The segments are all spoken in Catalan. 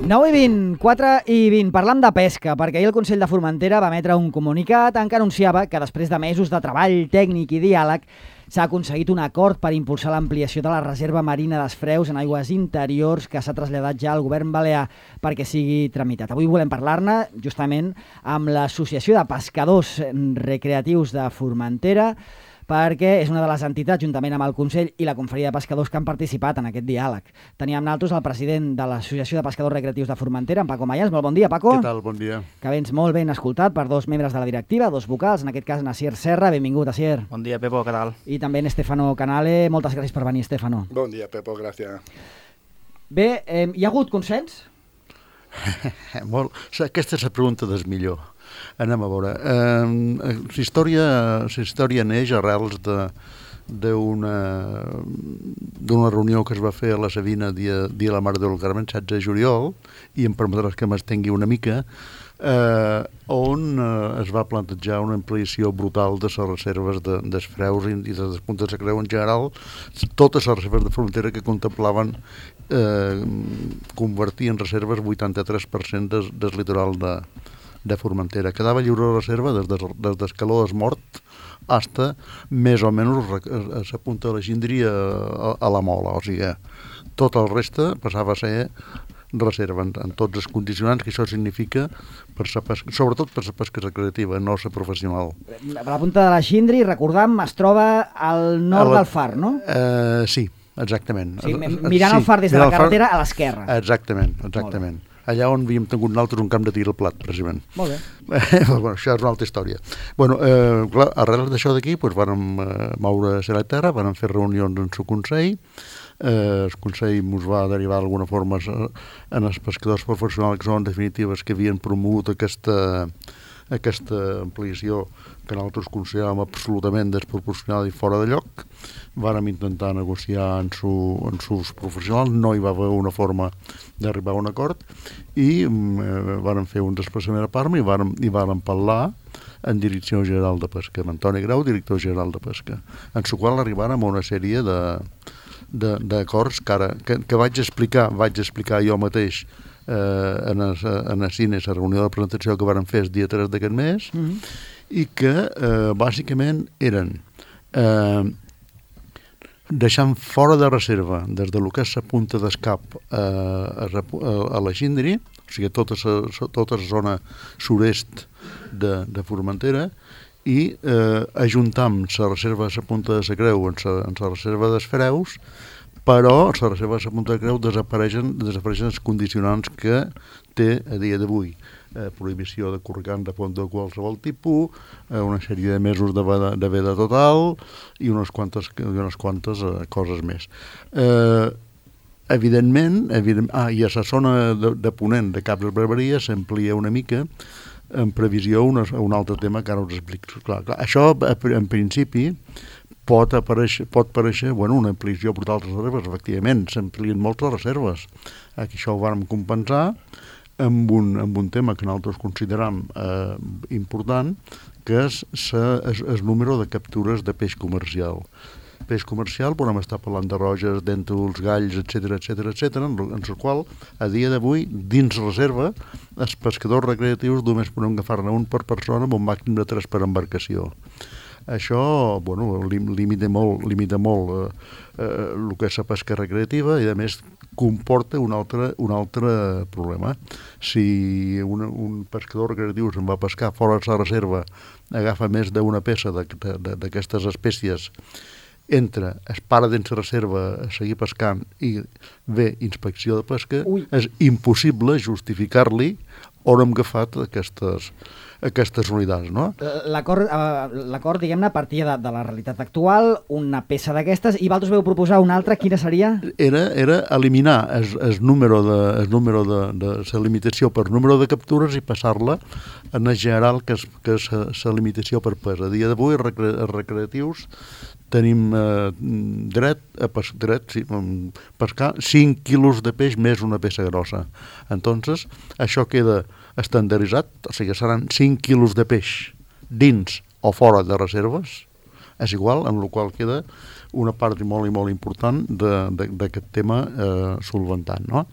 9:24 parlam de pesca, perquè ahir el Consell de Formentera va emetre un comunicat en què anunciava que després de mesos de treball tècnic i diàleg s'ha aconseguit un acord per impulsar l'ampliació de la reserva marina d'Esfreus en aigües interiors que s'ha traslladat ja al govern balear perquè sigui tramitat. Avui volem parlar-ne justament amb l'Associació de Pescadors Recreatius de Formentera, perquè és una de les entitats, juntament amb el Consell i la Confraria de Pescadors, que han participat en aquest diàleg. Teníem amb nosaltres el president de l'Associació de Pescadors Recreatius de Formentera, en Paco Mayans. Molt bon dia, Paco. Què tal? Bon dia. Que vens molt ben escoltat per dos membres de la directiva, dos vocals, en aquest cas Asier Serra. Benvingut, Asier. Bon dia, Pepo, què tal? I també en Estefano Canale. Moltes gràcies per venir, Estefano. Bon dia, Pepo, gràcies. Bé, hi ha hagut consens? Molt. Aquesta és la pregunta del millor. Anem a veure. La història neix arrels d'una reunió que es va fer a la Sabina dia de la Mare del Carme, 16 de juliol, i em permetràs que m'estengui una mica, on es va plantejar una ampliació brutal de les reserves d'Esfreus i de les puntes de creu en general, totes les reserves de Formentera que contemplaven convertir en reserves 83% del litoral de Formentera. Quedava lliure la reserva des d'Escaló d'Esmort fins més o menys a la punta de la Gíndria a la Mola, o sigui, tot el reste passava a ser reserva en tots els condicionants que això significa sobretot per la pesca recreativa, no la professional. La punta de la Gíndria, recordam, es troba al nord del far, no? Sí, exactament. Sí, mirant el far des de la carretera a l'esquerra. Exactament. Allà on havíem tingut nosaltres un camp de tir al plat, precisament. Molt bé. Bueno, això és una altra història. Bueno, clar, arrel d'això d'aquí, doncs vàrem moure a la terra, vàrem fer reunions en el Consell, el Consell ens va derivar d'alguna forma en els pescadors professionals que són en definitives que havien promogut aquesta ampliació que nosaltres consideràvem absolutament desproporcionada i fora de lloc. Vàrem intentar negociar en sus professionals, no hi va haver una forma d'arribar a un acord i vàrem fer un desplaçament a Parma i vàrem parlar en Direcció General de Pesca, amb Antoni Grau, director general de Pesca, en la qual arribàrem a una sèrie d'acords que vaig explicar jo mateix en el cine, la reunió de presentació que vàrem fer el dia 3 d'aquest mes, i que bàsicament eren deixant fora de reserva des de lo que és la punta d'escap a la Gíndria, o sigui tota la zona sud-est de Formentera, i ajuntam la reserva de la punta de la Creu en la reserva d'Esfreus, però la reserva de la punta de Creu desapareixen els condicionants que té a dia d'avui. Prohibició de corregant de fons de qualsevol tipus, una sèrie de mesos de veda total i unes quantes coses més. Evidentment, i a la zona de ponent de Caps de Barberia s'amplia una mica en previsió un altre tema que ara us explico. Clar, això, en principi, pot parèixer una ampliació brutal de reserves. Efectivament, s'amplien moltes reserves. Aquí això ho vam compensar amb un tema que nosaltres consideram important, que és el número de captures de peix comercial. Peix comercial, podem estar parlant de roges, dèntols, galls, etc., en el qual, a dia d'avui, dins reserva, els pescadors recreatius només podem agafar-ne un per persona amb un màxim de 3 per embarcació. Això, limita molt el que és la pesca recreativa i, a més, comporta un altre problema. Si un pescador recreatiu se'n va pescar fora de la reserva, agafa més d'una peça d'aquestes espècies, es para dins la reserva a seguir pescant i ve inspecció de pesca, és impossible justificar-li on hem agafat aquestes unitats, no? L'acord, diguem-ne, partia de la realitat actual, una peça d'aquestes, i vosaltres veu proposar una altra, quina seria? Era eliminar el número de la limitació per número de captures i passar-la en el general, que és la limitació per pes. A dia d'avui, els recreatius tenim dret a pescar 5 quilos de peix més una peça grossa. Entonces, això queda estandarditzat, o sigui, seran 5 quilos de peix dins o fora de reserves, és igual, amb la qual queda una part molt i molt important d'aquest tema solventant, no?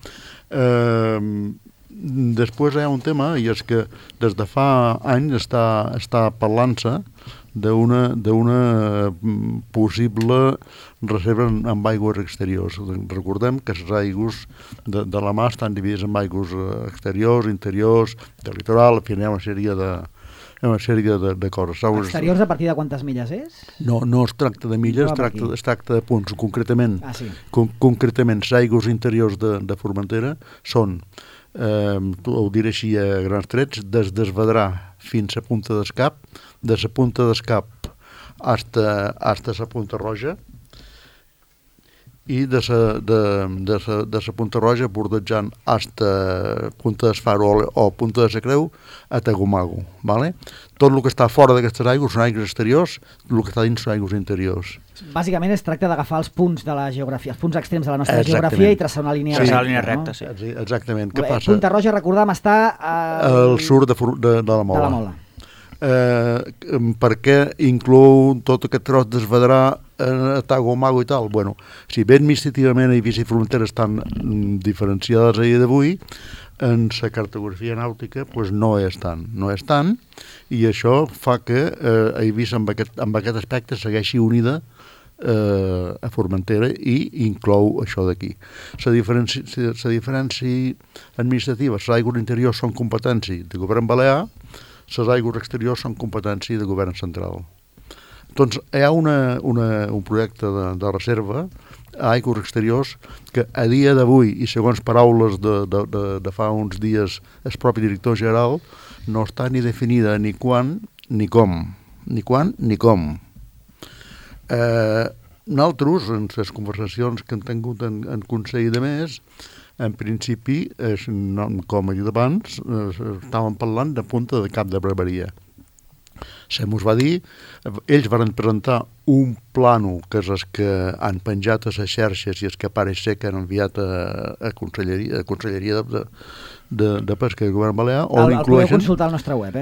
després hi ha un tema, i és que des de fa anys està parlant-se d'una possible reserva amb aigües exteriors. Recordem que les aigües de la mar estan dividides en aigües exteriors, interiors, de litoral, en fi, hi ha una sèrie de coses. Exteriors a partir de quantes milles és? No es tracta de milles, es tracta de punts. Concretament, concretament les aigües interiors de Formentera són, ho diré així a grans trets, des d'Esvedrà fins a Punta d'Escap, de la Punta d'Escap hasta la Punta Roja, i de la Punta Roja bordejant hasta Punta d'Esfaro o Punta de la Creu a Tagomago, ¿vale? Tot el que està fora d'aquestes aigües són aigües exteriors, el que està dins són aigües interiors. Bàsicament es tracta d'agafar els punts de la geografia, els punts extrems de la nostra geografia i traçar una línia recta. Traçar una línia recta, sí. Exactament. Què passa? Punta Roja, recordem, està al sud de la Mola. De la Mola. Per què inclou tot aquest tros d'Esvedrà a Tagomago i tal? Bueno, si bé administrativament Eivissa i Formentera estan diferenciades a dia d'avui, en la cartografia nàutica pues no és tant, i això fa que Eivissa amb aquest aspecte segueixi unida a Formentera i inclou això d'aquí. La diferència administrativa, les aigües interiors són competència del govern balear, les aigües exteriors són competència del govern central. Doncs hi ha un projecte de reserva a aigües exteriors que a dia d'avui, i segons paraules de fa uns dies el propi director general, no està ni definida ni quan ni com. Nosaltres, en les conversacions que hem tingut en Consell de Més, en principi, com he dit abans, estàvem parlant de Punta de Cap de Barberia. Se mos va dir, ells van presentar un plànol que és el que han penjat a les xarxes i els que pareix ser que han enviat a Conselleria de Pesca del Govern Balear. El podeu consultar al nostre web,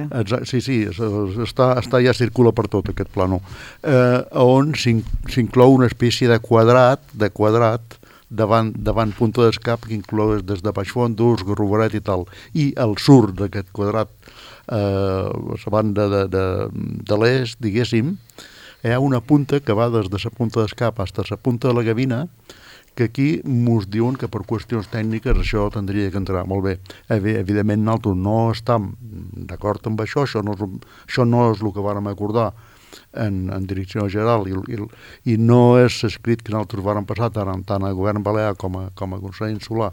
Sí, ja circula per tot aquest plànol, on s'inclou una espècie de quadrat davant Punta d'Escap, que inclou des de Baixfondos, Garrovaret i tal, i al sud d'aquest quadrat, a la banda de l'est, diguéssim, hi ha una punta que va des de la Punta d'Escap fins a la Punta de la Gavina, que aquí mos diuen que per qüestions tècniques això tindria que entrar. Molt bé, evidentment nosaltres no estem d'acord amb això, això no és el que vàrem acordar en direcció general i no és escrit que nosaltres vàrem passar tant al govern balear com a Consell Insular,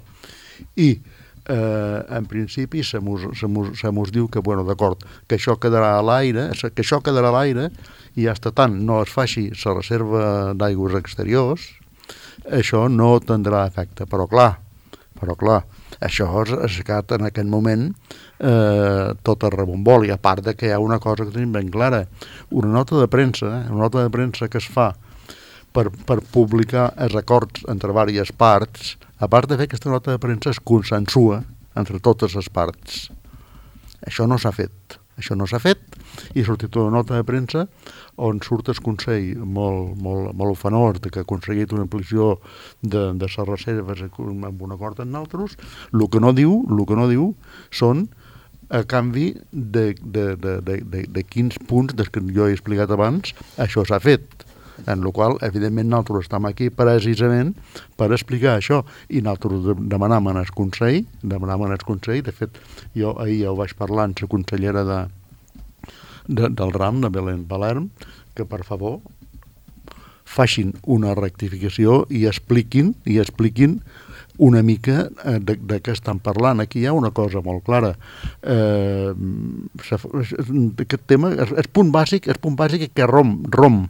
i en principi se mos diu que, bueno, d'acord, que això quedarà a l'aire, i ja tant no es faci la reserva d'aigües exteriors, això no tindrà efecte, però clar, això és que en aquest moment tot el rebomboli, a part de que hi ha una cosa que tenim ben clara, una nota de premsa que es fa per publicar els acords entre diverses parts, a part de fer aquesta nota de premsa es consensua entre totes les parts. Això no s'ha fet, i ha sortit una nota de premsa on surt el Consell molt ufanós de que ha aconseguit una ampliació de les reserves amb un acord amb nosaltres. El que no diu són a canvi de quins punts des que jo he explicat abans això s'ha fet, en la qual evidentment nosaltres estem aquí precisament per explicar això, i nosaltres demanàvem al Consell, de fet jo ahir ja ho vaig parlar amb la consellera del RAM, de Belén Palerm, que per favor facin una rectificació i expliquin una mica de què estan parlant. Aquí hi ha una cosa molt clara. Aquest tema, el punt bàsic que romp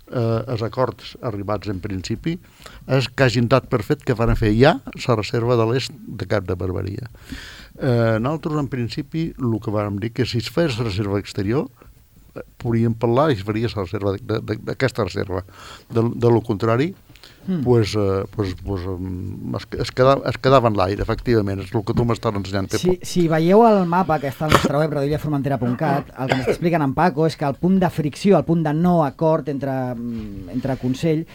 els acords arribats en principi és que hagin dat per fet que van fer ja la reserva de l'est de Cap de Barberia. Nosaltres en principi el que vam dir que si es fes reserva exterior podríem parlar i es faria la reserva d'aquesta reserva. De lo contrari es quedava en l'aire, efectivament, és el que tu m'estàs ensenyant. Si veieu el mapa que està al nostre web, radioillaformentera.cat, el que m'està explicant en Paco és que el punt de fricció, el punt de no acord entre Consell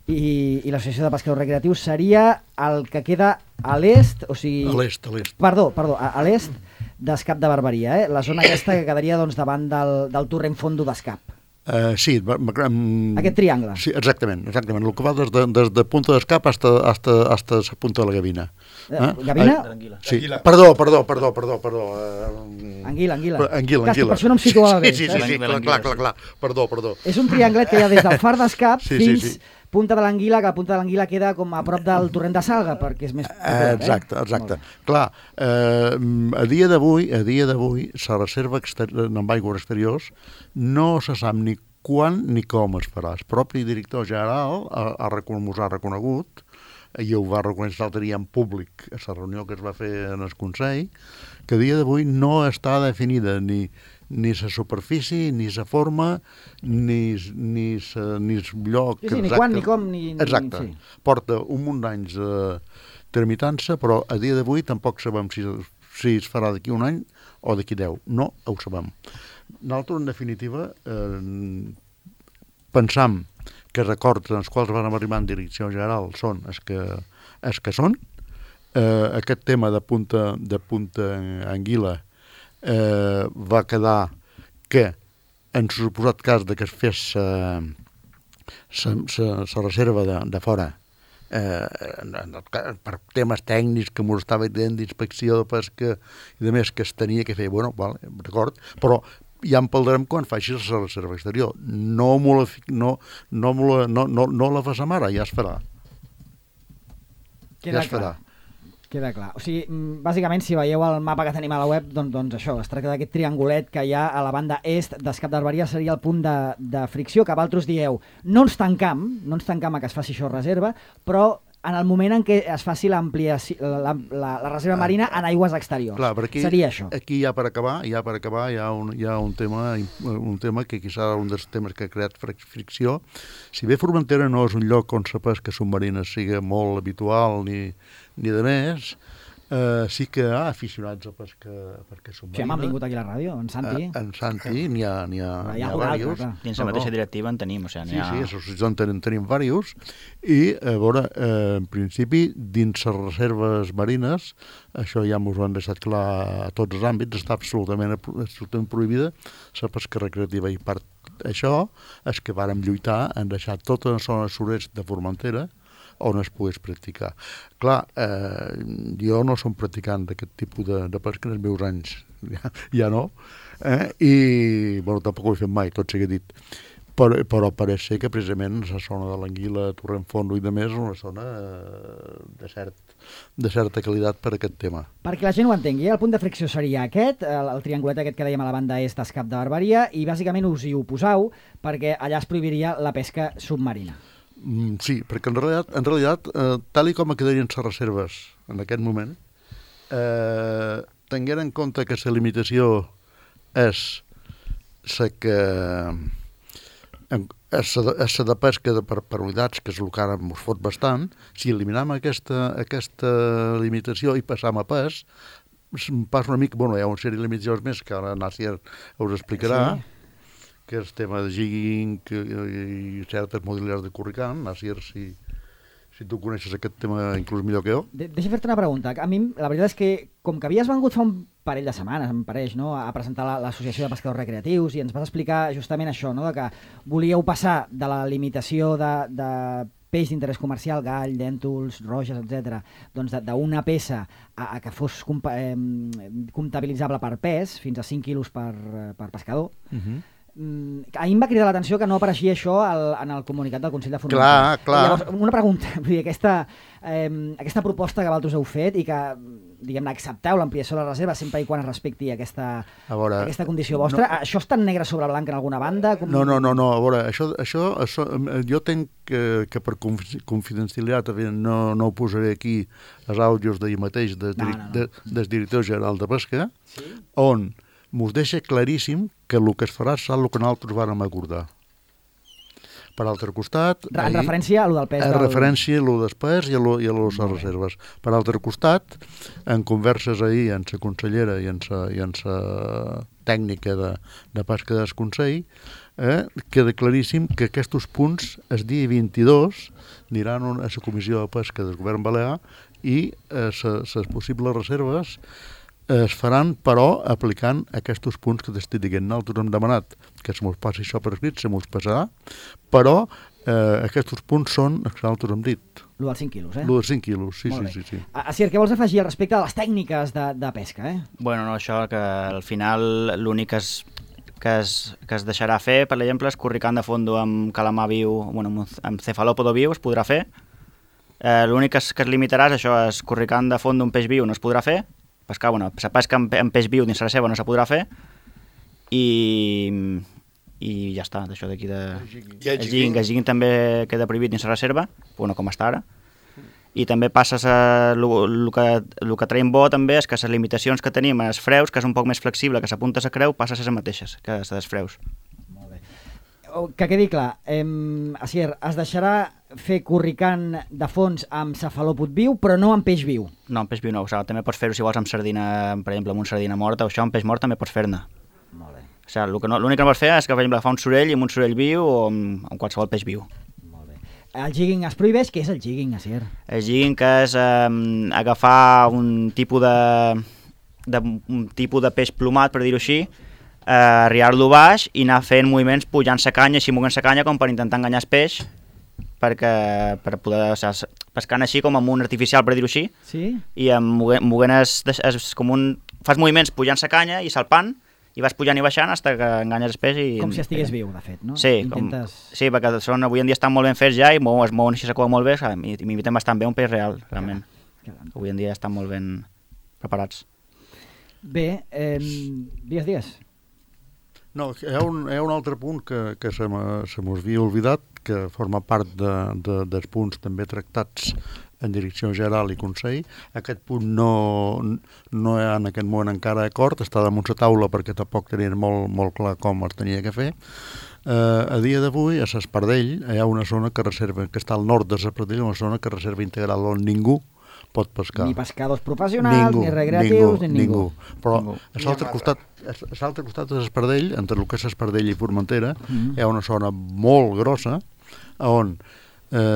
i l'Associació de Pescadors Recreatius seria el que queda a l'est, o sigui... A l'est. Perdó, a l'est d'Escap de Barberia, la zona aquesta que quedaria doncs, davant del torrent fondo d'Escap. Sí. Aquest triangle. Sí, exactament. El que va des de Punta d'Escap hasta la Punta de la Gavina. Gavina? Sí. Perdó. Anguila. Anguila. Per això no em situava bé. Sí, clar. Perdó. És un trianglet que hi ha des del far d'Escap fins Punta de l'Anguila, que la Punta de l'Anguila queda com a prop del torrent de Salga, perquè és més... Exacte. Clar, a dia d'avui, la reserva amb aigües exteriors no se sap ni quan ni com es farà. El propi director general ha reconegut, i ho va reconèixer l'altre dia en públic a la reunió que es va fer en el Consell, que a dia d'avui no està definida ni la superfície, ni la forma, ni el lloc... Sí, ni quan, ni com, ni... Exacte. Sí. Porta un munt d'anys tramitant-se, però a dia d'avui tampoc sabem si es farà d'aquí un any o d'aquí 10. No ho sabem. Nosaltres, en definitiva, pensam que els acords en els quals vam arribar en direcció general són els que són. Aquest tema de Punta Anguila va quedar que, en suposat cas de que es fes la reserva de fora, per temes tècnics que m'ho estava dient d'inspecció de pesca i de més que es tenia que fer, d'acord, però ja en parlarem quan faci la reserva exterior. No la fas ara, ja es farà. Queda clar. O sigui, bàsicament, si veieu el mapa que tenim a la web, doncs això, es tracta d'aquest triangulet que hi ha a la banda est d'Escap de Barberia, seria el punt de fricció, que vosaltres dieu, no ens tancam a que es faci això reserva, però en el moment en què es faci l'ampliació, la reserva marina en aigües exteriors. Clar, aquí, seria això. Aquí ja per acabar hi ha un tema que quizà un dels temes que ha creat fricció. Si bé Formentera no és un lloc on la pesca submarina sigui molt habitual ni de més, sí que hi ha aficionats a pesca submarina. Sí, hem vingut aquí a la ràdio, en Santi. En Santi, n'hi ha diversos. Dins la mateixa directiva en tenim, o sigui, Sí, associacions tenim diversos, i a veure, en principi, dins les reserves marines, això ja m'ho han deixat clar a tots els àmbits, està absolutament prohibida la pesca recreativa, i per això és que vàrem lluitar en deixar tota la zona sud-est de Formentera on es pogués practicar. Clar, jo no som practicant d'aquest tipus de pesca en els meus anys, ja no, i tampoc ho he fet mai, tot sigui dit, però pareix ser que precisament la zona de l'Anguila, Torrent Fondo i de més és una zona de certa qualitat per aquest tema. Perquè la gent ho entengui, el punt de fricció seria aquest, el triangulet aquest que dèiem a la banda est d'Escap de Barberia, i bàsicament us hi oposau perquè allà es prohibiria la pesca submarina. Sí, perquè en realitat tal com quedarien les reserves en aquest moment, tenint en compte que la limitació és la de pesca per unitats, que és el que ara ens fot bastant, si eliminem aquesta limitació i passam a pes, passa una mica, hi ha una sèrie de limitacions més que ara Nàcier us explicarà, que és el tema de jigging i certes modalitats de curricant. Nàcier, si tu coneixes aquest tema inclús millor que jo. Deixa fer-te una pregunta. A mi, la veritat és que, com que havies vengut fa un parell de setmanes, em pareix, no?, a presentar l'Associació de Pescadors Recreatius, i ens vas explicar justament això, no?, que volíeu passar de la limitació de peix d'interès comercial, gall, dèntols, roges, etc., doncs d'una peça a que fos comptabilitzable per pes, fins a 5 quilos per pescador. A mi em va cridar l'atenció que no apareixia això en el comunicat del Consell de Formentera. Clar. Llavors, una pregunta, vull dir, aquesta proposta que vosaltres heu fet i que, diguem-ne, accepteu l'ampliació de la reserva sempre i quan es respecti aquesta condició vostra, això està en negre sobre blanc en alguna banda? No, a veure, això jo tenc que per confidencialitat no ho posaré aquí els àudios d'ahir mateix del director general de Pesca, on mos deixa claríssim que el que es farà serà el que nosaltres vàrem acordar. Per altre costat... En referència a lo del pes En referència a lo del pes i a lo de les reserves. Per altre costat, en converses ahir amb la consellera i amb la tècnica de pesca del Consell, queda claríssim que aquests punts el dia 22 aniran a la Comissió de Pesca del Govern Balear i les possibles reserves es faran, però, aplicant aquests punts que t'estic dient. Nosaltres hem demanat que se mos passi això per escrit, se mos passarà, però aquests punts són els que nosaltres hem dit. Lo dels 5 quilos, Lo dels 5 quilos, sí. Asier, què vols afegir al respecte de les tècniques de pesca, Bueno, no, això, que al final l'únic que es deixarà fer, per exemple, és corricant de fondo amb calamar viu, bueno, amb cefalòpodo viu es podrà fer. L'únic que es limitarà és això, és corricant de fondo un peix viu no es podrà fer, pescar, bueno, la pesca amb peix viu dins la seva no se podrà fer, i ja està, d'això d'aquí de... El jigging també queda prohibit dins la reserva, bueno, com està ara, i també passes el que traiem bo també és que les limitacions que tenim als freus, que és un poc més flexible, que s'apunta a la creu, passa a ser les mateixes que les dels freus. Molt bé. Que quedi clar, Asier, es deixarà fer corricant de fons amb cefalòpod viu, però no amb peix viu. No, amb peix viu no, o sigui, també pots fer-ho si vols amb sardina, per exemple, amb una sardina morta, o això amb peix mort també pots fer-ne. Molt bé. O sigui, l'únic que no pots fer és que, per exemple, fa un sorell amb un sorell viu o amb qualsevol peix viu. Molt bé. El jigging es prohibeix? Què és el jigging, Asier? El jigging que és agafar un tipus de peix plomat, per dir-ho així, arriar-lo baix i anar fent moviments pujant la canya, així moguent la canya com per intentar enganyar el peix, per poder, o sigui, pescant així com amb un artificial, per dir-ho així, sí? I moguent fas moviments pujant la canya i salpant, i vas pujant i baixant fins que enganyes el peix. Com si estigués viu, de fet, no? Sí, sí, perquè avui en dia estan molt ben fets ja i es mouen així la cua molt bé i m'imiten bastant bé un peix real, realment. Avui en dia estan molt ben preparats. Bé, digues. No, hi ha un altre punt que se m'havia oblidat, que forma part dels punts també tractats en direcció general i Consell. Aquest punt no hi ha en aquest moment encara acord, està damunt la taula perquè tampoc tenien molt clar com es tenia que fer. A dia d'avui, a l'Espardell, hi ha una zona que està al nord de l'Espardell, una zona que reserva integral on ningú pot pescar. Ni pescadors professionals, ni recreatius, ni ningú. Però a l'altre costat de l'Espardell, entre el que és l'Espardell i Formentera, hi ha una zona molt grossa on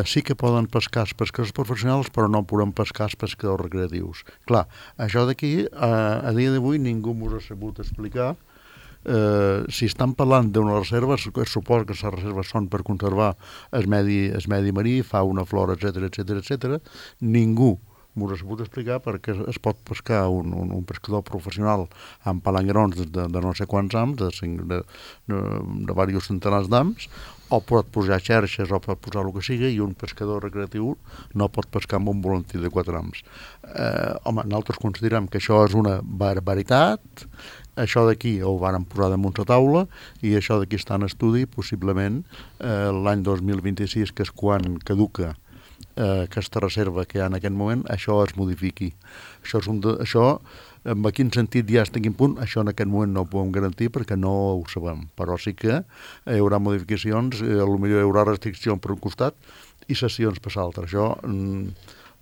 sí que poden pescar els pescadors professionals, però no poden pescar els pescadors recreatius. Clar, això d'aquí, a dia d'avui, ningú m'ho ha sabut explicar. Si estan parlant d'una reserva, suposo que les reserves són per conservar el medi marí, fauna, flora, etc. Ningú m'ho ha sabut explicar perquè es pot pescar un pescador professional amb palangrons de no sé quants ams, de diversos centenars d'ams, o pot posar xerxes o pot posar el que sigui, i un pescador recreatiu no pot pescar amb un volantí de 4 ams. Home, nosaltres considerem que això és una barbaritat, això d'aquí ho varen posar damunt la taula i això d'aquí està en estudi, possiblement l'any 2026, que és quan caduca aquesta reserva que hi ha en aquest moment, això es modifiqui. Això en quin sentit ja està en quin punt, això en aquest moment no ho podem garantir perquè no ho sabem, però sí que hi haurà modificacions, potser hi haurà restriccions per un costat i sessions per l'altre. Això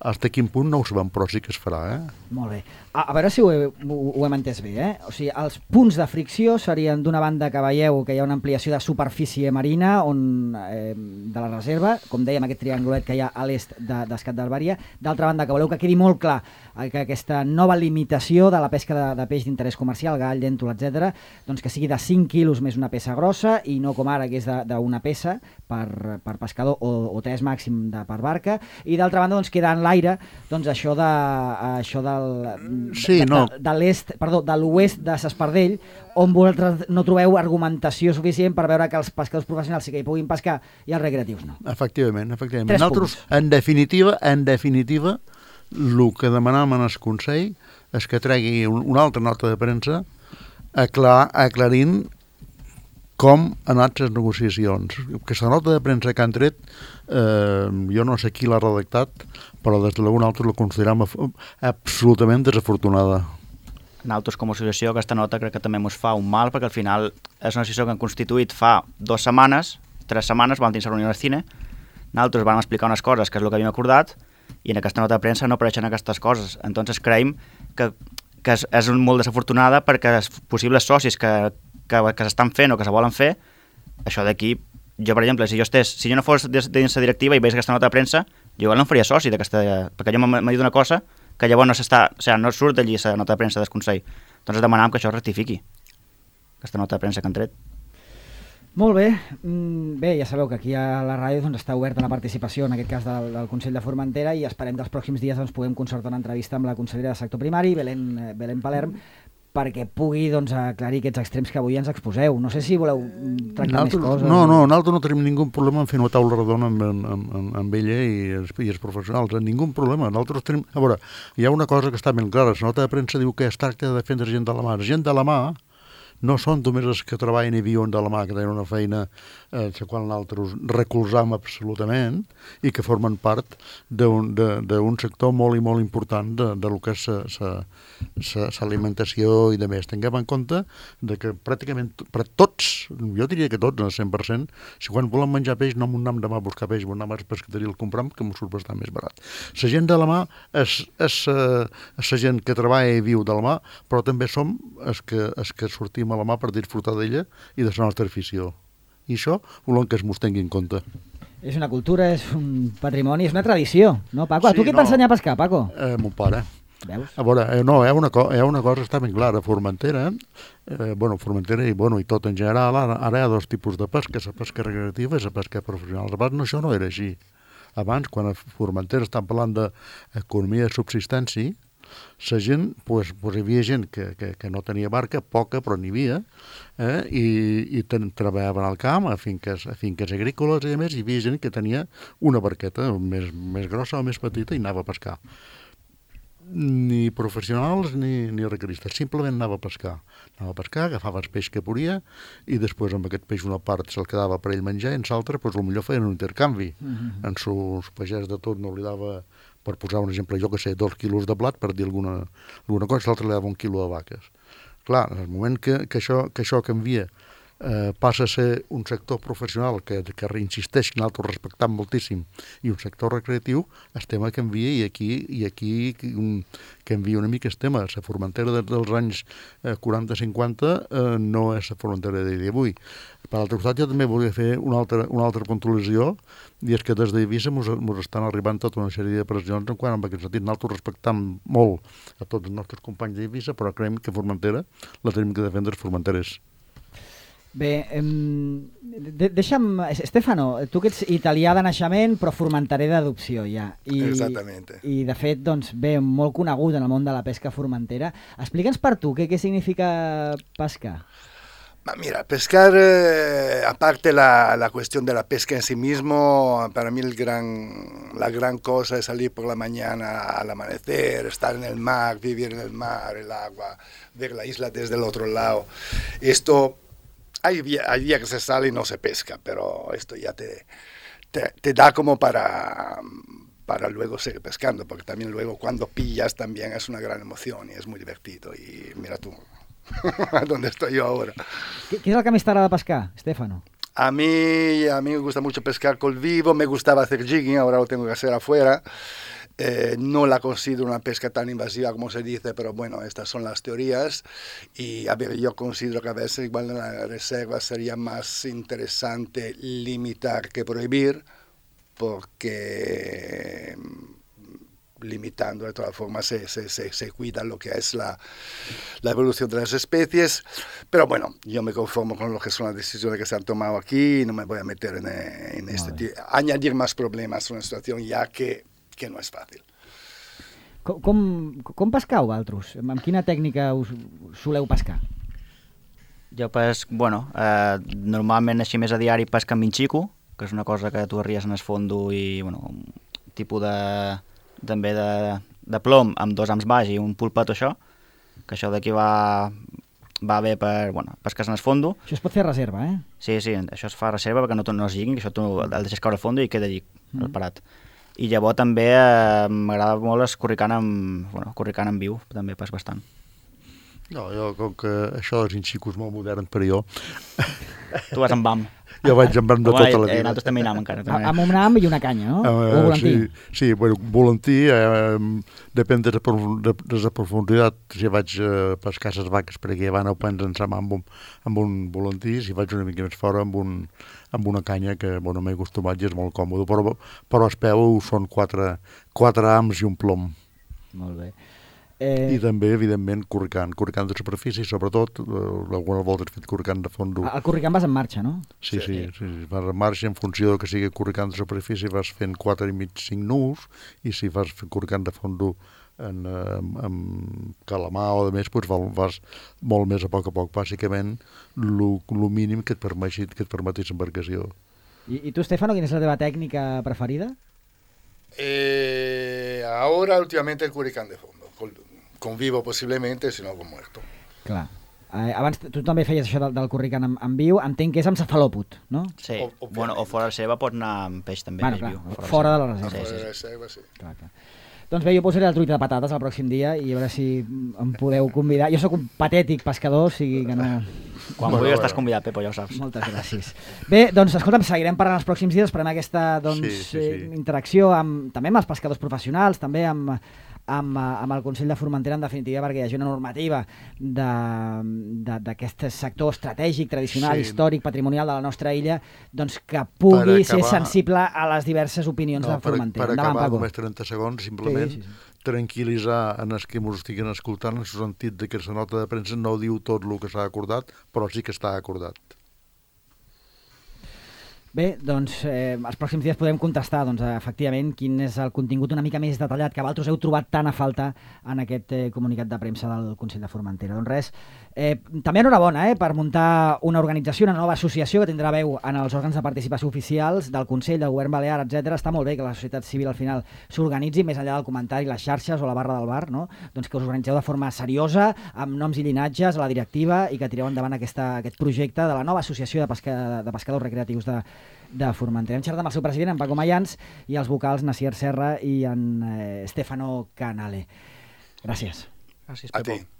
fins a quin punt no ho sabem, però sí que es farà. Molt bé. A veure si ho hem entès bé. O sigui, els punts de fricció serien d'una banda que veieu que hi ha una ampliació de superfície marina de la reserva, com dèiem, aquest triangulet que hi ha a l'est d'Escat d'Albària. D'altra banda, que voleu que quedi molt clar que aquesta nova limitació de la pesca de peix d'interès comercial, gall, llèntol, etc., doncs que sigui de 5 quilos més una peça grossa i no com ara, que és d'una peça per pescador o 3 màxim per barca. I d'altra banda, doncs queda en l'aire això de l'oest de l'Espardell, on vosaltres no trobeu argumentació suficient per veure que els pescadors professionals sí que hi puguin pescar i els recreatius no. Efectivament. Nosaltres, en definitiva, el que demanàvem en el Consell és que tregui una altra nota de premsa aclarint com han anat les negociacions. Aquesta nota de premsa que han tret, jo no sé qui l'ha redactat, però des de l'algun altre la considerem absolutament desafortunada. Nosaltres, com a associació, aquesta nota crec que també ens fa un mal, perquè al final és una associació que han constituït fa 2 setmanes, 3 setmanes vam tenir la reunió al cine, nosaltres vam explicar unes coses, que és el que havíem acordat, i en aquesta nota de premsa no apareixen aquestes coses. Entonces creiem que és molt desafortunada perquè els possibles socis que s'estan fent o que se volen fer, això d'aquí, jo per exemple, si jo no fos dins la directiva i veig aquesta nota de premsa, jo igual no em faria soci perquè jo m'he dit una cosa que llavors no surt d'allí la nota de premsa del Consell. Doncs demanàvem que això es rectifiqui, aquesta nota de premsa que han tret. Molt bé. Bé, ja sabeu que aquí a la ràdio doncs, està oberta la participació, en aquest cas del Consell de Formentera, i esperem que els pròxims dies doncs, puguem concertar una entrevista amb la consellera de sector primari, Belén Palerm, perquè pugui doncs, aclarir aquests extrems que avui ens exposeu. No sé si voleu tractar més coses. No, nosaltres no tenim ningú problema en fer una taula redona amb ella i els professionals, ningú problema. Nosaltres tenim... A veure, hi ha una cosa que està ben clara, la nota de premsa diu que es tracta de defendre gent de la mà. Gent de la mà no són només els que treballen i viuen de la mà, que tenen una feina la qual nosaltres recolzam absolutament i que formen part d'un sector molt i molt important de lo que és l'alimentació i de més. Tinguem en compte que pràcticament per tots, jo diria que tots, al 100%, si quan volen menjar peix no m'ho anem demà a buscar peix, m'ho anem a la pescateria el compram, que m'ho surt bastant més barat. La gent de la mà és la gent que treballa i viu de la mà, però també som els que sortim a la mà per disfrutar d'ella i de la nostra afició. I això volem que es mos tingui en compte. És una cultura, és un patrimoni, és una tradició, no, Paco? Sí, tu qui et va ensenyar a pescar, Paco? Mon pare. Veus? A veure, hi ha una cosa que està ben clara. Formentera, Formentera i tot en general, ara hi ha dos tipus de pesca, la pesca recreativa i la pesca professional. Abans això no era així. Abans, quan a Formentera estan parlant d'economia de subsistència, la gent, hi havia gent que no tenia barca, poca, però n'hi havia, i treballaven al camp, a finques agrícoles i a més, hi havia gent que tenia una barqueta més grossa o més petita i anava a pescar. Ni professionals ni recreistes, simplement anava a pescar. Agafava el peix que podia i després amb aquest peix una part se'l quedava per ell menjar i en l'altra potser feien un intercanvi. En sus pagès de tot no li dava, per posar un exemple, 2 quilos de blat, per dir alguna cosa, l'altre li dava 1 quilo de vaques. Clar, en el moment que això canvia, passa a ser un sector professional que reinsisteix, que nosaltres respectam moltíssim, i un sector recreatiu, el tema canvia i aquí canvia una mica el tema. La Formentera dels anys 40-50 no és la Formentera d'avui. Per l'altre costat, jo també volia fer una altra puntualització, i és que des d'Eivissa mos estan arribant tota una sèrie de pressions en aquest sentit. Nosaltres respectam molt a tots els nostres companys d'Eivissa, però creiem que Formentera la tenim que defendre els formenterers. Bé, deixa'm... Stefano, tu que ets italià de naixement però formenterer d'adopció ja. Exactamente. I de fet, doncs, bé, molt conegut en el món de la pesca formentera. Explica'ns per tu què significa pescar. Mira, pescar, aparte la cuestión de la pesca en sí mismo, para mí la gran cosa es salir por la mañana al amanecer, estar en el mar, vivir en el mar, el agua, ver la isla desde el otro lado. Esto... Hay días que se sale y no se pesca, pero esto ya te da como para luego seguir pescando, porque también luego cuando pillas también es una gran emoción y es muy divertido. Y mira tú, ¿dónde estoy yo ahora? ¿Qué es el que més t'agrada pescar, Stefano? A mí me gusta mucho pescar col vivo, me gustaba hacer jigging, ahora lo tengo que hacer afuera. No la considero una pesca tan invasiva como se dice, pero bueno, estas son las teorías. Y a ver, yo considero que a veces igual en la reserva sería más interesante limitar que prohibir, porque limitando de todas formas se cuida lo que es la evolución de las especies. Pero bueno, yo me conformo con lo que son las decisiones que se han tomado aquí y no me voy a meter en añadir más problemas a una situación ya que no és fàcil. Com pescau, vosaltres? Amb quina tècnica us soleu pescar? Jo normalment així més a diari pesca amb minxico, que és una cosa que tu arries en el fondo i un tipus també de plom amb 2 hams baix i un pulpet o això, que això d'aquí va bé per pescar en el fondo. Això es pot fer a reserva, eh? Sí, això es fa a reserva perquè no es lliguin, que això tu el deixes caure al fondo i queda llig, parat. I llavors també m'agrada molt escorricant en viu, també pas bastant. No, jo, com que això dels inxicos molt moderns per jo, Tu vas amb BAM. jo vaig amb de tota la vida. Nosaltres també hi anàvem encara. També. Amb un nam i una canya, no? O volantí. Sí, bueno, volantí, depèn de la profunditat. Si vaig pescar les vaques, perquè ja van a prendre en sa mà amb un volantí, si vaig una mica més fora amb una canya que, bueno, m'he acostumat i és molt còmode, però es peu són quatre ams i un plom. Molt bé. I també, evidentment, corricant de superfície, sobretot, algunes voltes he fet corricant de fondo. El corricant vas en marxa, no? Sí, vas en marxa en funció que sigui corricant de superfície, vas fent 4 i mig, 5 nusos, i si vas fent corricant de fondo amb calamar o de més, doncs vas molt més a poc, bàsicament, el mínim que et permeti l'embarcació. I tu, Stefano, quina és la teva tècnica preferida? Ahora, últimamente, el curicán de fondo. Con vivo, posiblemente, si no, con muerto. Clar. Abans tu també feies això del corricant en viu, entenc que és amb cefalòpod, no? Sí, bueno, o fora de seva pot anar amb peix també. Bueno, clar, fora de la reserva. Fora de la reserva, sí. Clar. Doncs bé, jo posaré la truita de patates el pròxim dia i a veure si em podeu convidar. Jo sóc un patètic pescador, o sigui que no... Quan vulguis estàs convidat, Pepo, ja ho saps. Moltes gràcies. Bé, doncs escolta'm, seguirem parlant els pròxims dies, esperem aquesta interacció també amb els pescadors professionals, també amb el Consell de Formentera, en definitiva, perquè hi hagi una normativa d'aquest sector estratègic, tradicional, històric, patrimonial de la nostra illa, doncs que pugui ser sensible a les diverses opinions de Formentera. Per acabar, només 30 segons, simplement tranquil·litzar en els que ens estiguin escoltant en el sentit que la nota de premsa no diu tot el que s'ha acordat, però sí que està acordat. Bé, doncs els pròxims dies podem contestar efectivament quin és el contingut una mica més detallat que vosaltres heu trobat tant a falta en aquest comunicat de premsa del Consell de Formentera. Doncs res, també enhorabona per muntar una organització, una nova associació que tindrà veu en els òrgans de participació oficials del Consell, del Govern Balear, etc. Està molt bé que la societat civil al final s'organitzi més enllà del comentari, les xarxes o la barra del bar, no? Doncs que us organitzeu de forma seriosa, amb noms i llinatges a la directiva i que tireu endavant aquest projecte de la nova associació de pescadors recreatius de Formentera. Hem xerrat amb el seu president, en Paco Mayans, i els vocals Nasier Serra i en Stefano Canale. Gràcies. Gràcies, Pepo. A ti.